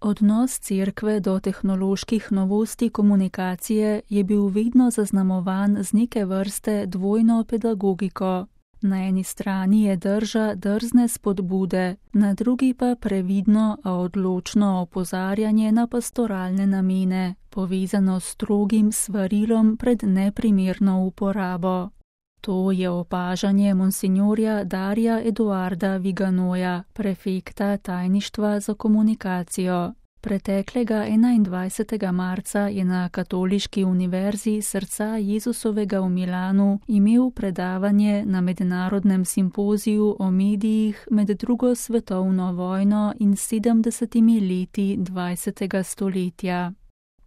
Odnos cerkve do tehnoloških novosti komunikacije je bil vedno zaznamovan z neke vrste dvojno pedagogiko. Na eni strani je drža drzne spodbude, na drugi pa previdno, a odločno opozarjanje na pastoralne namene, povezano s strogim svarilom pred neprimerno uporabo. To je opažanje monsinjorja Darja Eduarda Viganoja, prefekta tajništva za komunikacijo. Preteklega 21. marca je na Katoliški univerzi Srca Jezusovega v Milanu imel predavanje na mednarodnem simpoziju o medijih med drugo svetovno vojno in 70 leti 20. stoletja.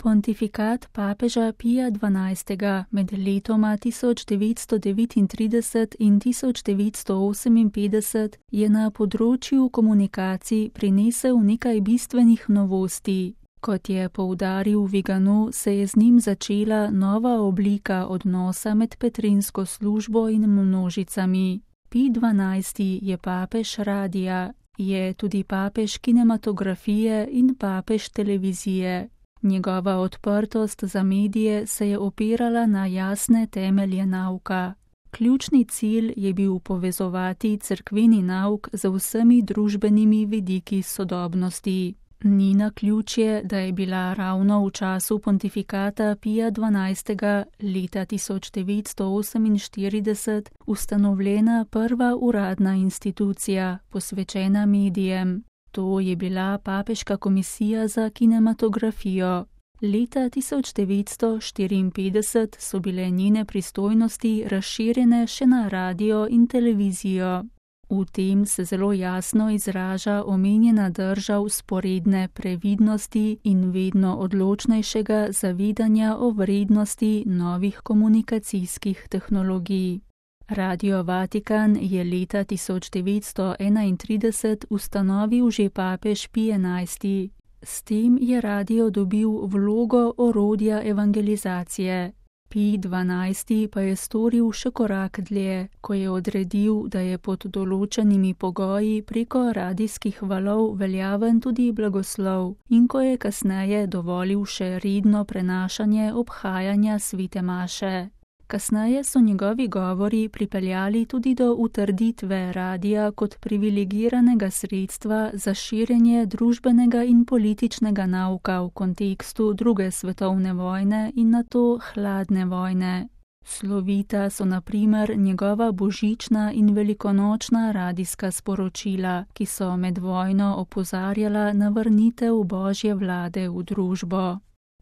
Pontifikat papeža Pija XII. Med letoma 1939 in 1958 je na področju komunikacij prinesel nekaj bistvenih novosti. Kot je poudaril Vigano, se je z njim začela nova oblika odnosa med petrinsko službo in množicami. Pij XII. Je papež radija, je tudi papež kinematografije in papež televizije. Njegova odprtost za medije se je opirala na jasne temelje nauka. Ključni cilj je bil povezovati cerkveni nauk z vsemi družbenimi vidiki sodobnosti. Ni naključje, da je bila ravno v času pontifikata Pija XII. Leta 1948 ustanovljena prva uradna institucija, posvečena medijem. To je bila Papeška komisija za kinematografijo. Leta 1954 so bile njene pristojnosti razširjene še na radio in televizijo. V tem se zelo jasno izraža omenjena drža vzporedne previdnosti in vedno odločnejšega zavedanja o vrednosti novih komunikacijskih tehnologij. Radio Vatikan je leta 1931 ustanovil že papež Pij XI. S tem je radio dobil vlogo orodja evangelizacije. Pij XII. Pa je storil še korak dlje, ko je odredil, da je pod določenimi pogoji preko radijskih valov veljaven tudi blagoslov in ko je kasneje dovolil še redno prenašanje obhajanja svete maše. Kasneje so njegovi govori pripeljali tudi do utrditve radija kot privilegiranega sredstva za širjenje družbenega in političnega nauka v kontekstu druge svetovne vojne in nato hladne vojne. Slovita so na primer njegova božična in velikonočna radijska sporočila, ki so med vojno opozarjala na vrnitev Božje vlade v družbo.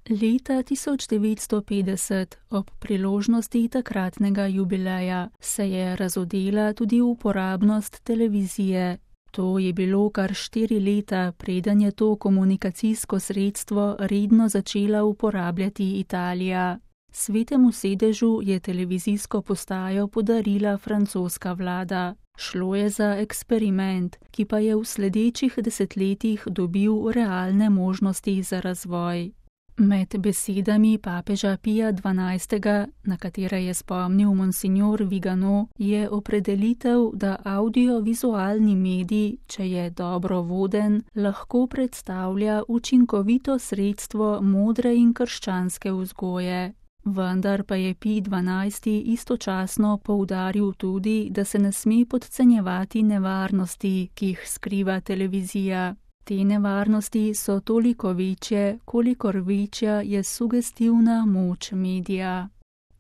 Leta 1950, ob priložnosti takratnega jubileja, se je razodela tudi uporabnost televizije. To je bilo kar 4 leta, preden je to komunikacijsko sredstvo redno začela uporabljati Italija. Svetemu sedežu je televizijsko postajo podarila francoska vlada. Šlo je za eksperiment, ki pa je v sledečih desetletjih dobil realne možnosti za razvoj. Med besedami papeža Pija XII., na katere je spomnil monsinjor Vigano, je opredelitev, da audiovizualni medij, če je dobro voden, lahko predstavlja učinkovito sredstvo modre in krščanske vzgoje. Vendar pa je Pij XII. Istočasno poudaril tudi, da se ne sme podcenjevati nevarnosti, ki jih skriva televizija. Te nevarnosti so toliko večje, kolikor večja je sugestivna moč medija.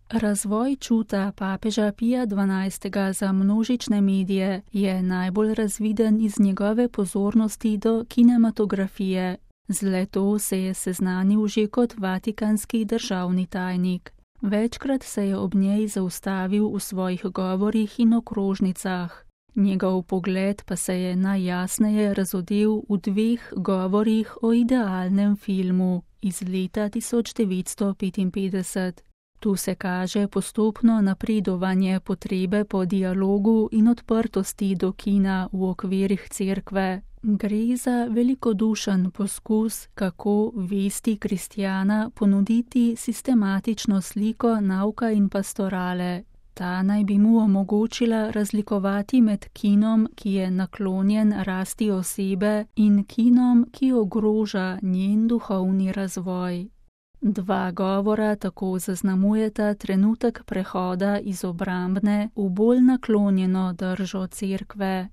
Razvoj čuta papeža Pija XII. Za množične medije je najbolj razviden iz njegove pozornosti do kinematografije. Z le-to se je seznanil že kot vatikanski državni tajnik. Večkrat se je ob njej zaustavil v svojih govorih in okrožnicah. Njegov pogled pa se je najjasneje razodel v 2 govorih o idealnem filmu iz leta 1955. Tu se kaže postopno napredovanje potrebe po dialogu in odprtosti do kina v okvirih cerkve. Gre za velikodušen poskus, kako vesti kristjana ponuditi sistematično sliko nauka in pastorale. Ta naj bi mu omogočila razlikovati med kinom, ki je naklonjen rasti osebe, in kinom, ki ogroža njen duhovni razvoj. Dva govora tako zaznamujeta trenutek prehoda iz obrambne v bolj naklonjeno držo Cerkve.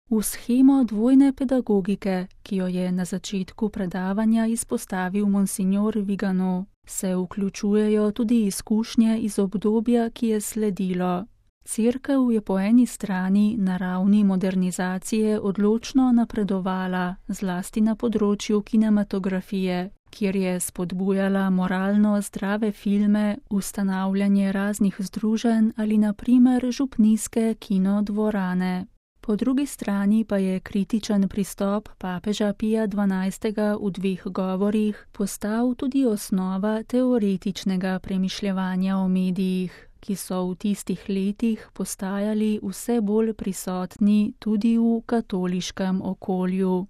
V shemo dvojne pedagogike, ki jo je na začetku predavanja izpostavil monsignor Vigano, se vključujejo tudi izkušnje iz obdobja, ki je sledilo. Cerkev je po eni strani na ravni modernizacije odločno napredovala, zlasti na področju kinematografije, kjer je spodbujala moralno zdrave filme, ustanavljanje raznih združenj ali na primer župnijske kinodvorane. Po drugi strani pa je kritičen pristop papeža Pija XII. V dveh govorih postal tudi osnova teoretičnega premišljevanja o medijih, ki so v tistih letih postajali vse bolj prisotni tudi v katoliškem okolju.